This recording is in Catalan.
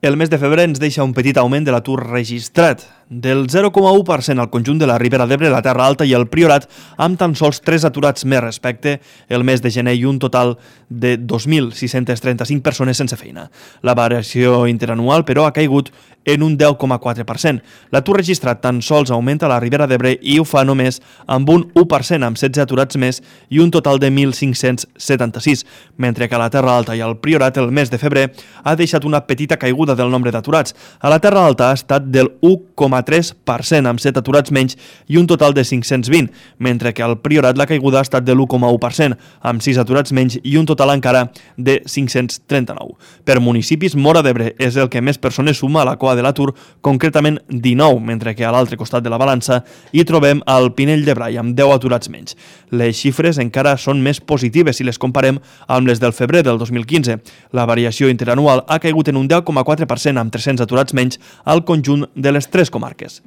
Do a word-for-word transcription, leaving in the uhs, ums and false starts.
El mes de febrer ens deixa un petit augment de l'atur registrat, del zero coma u per cent al conjunt de la Ribera d'Ebre, la Terra Alta i el Priorat, amb tan sols tres aturats més respecte el mes de gener i un total de dos mil sis-cents trenta-cinc persones sense feina. La variació interanual, però, ha caigut en un deu coma quatre per cent. L'atur registrat tan sols augmenta a la Ribera d'Ebre i ho fa només amb un u per cent, amb setze aturats més i un total de mil cinc-cents setanta-sis, mentre que a la Terra Alta i al Priorat el mes de febrer ha deixat una petita caiguda del nombre d'aturats. A la Terra Alta ha estat del u coma tres per cent, amb set aturats menys i un total de cinc-cents vint, mentre que al Priorat la caiguda ha estat de l'u coma u per cent, amb sis aturats menys i un total encara de cinc-cents trenta-nou. Per municipis, Móra d'Ebre és el que més persones suma a la cua de l'atur, concretament dinou, mentre que a l'altre costat de la balança hi trobem el Pinell de Brai, amb deu aturats menys. Les xifres encara són més positives si les comparem amb les del febrer del dos mil quinze. La variació interanual ha caigut en un deu coma quatre per cent, amb tres-cents aturats menys al conjunt de les tres comarques.